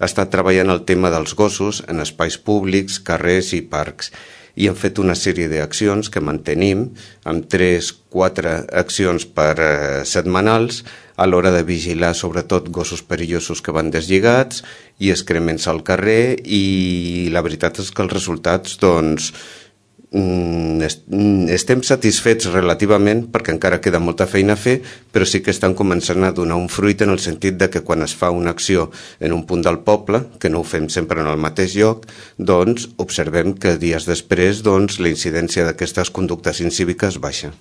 ha estat treballant el tema dels gossos en espais públics, carrers i parcs, i hem fet una sèrie d'accions que mantenim amb 3-4 accions setmanals a l'hora de vigilar sobretot gossos perillosos que van deslligats i excrements al carrer, i la veritat és que els resultats estem satisfets relativament, perquè encara queda molta feina a fer, però sí que estan començant a donar un fruit en el sentit de que quan es fa una acció en un punt del poble, que no ho fem sempre en el mateix lloc, doncs observem que dies després la incidència d'aquestes conductes incíviques baixa.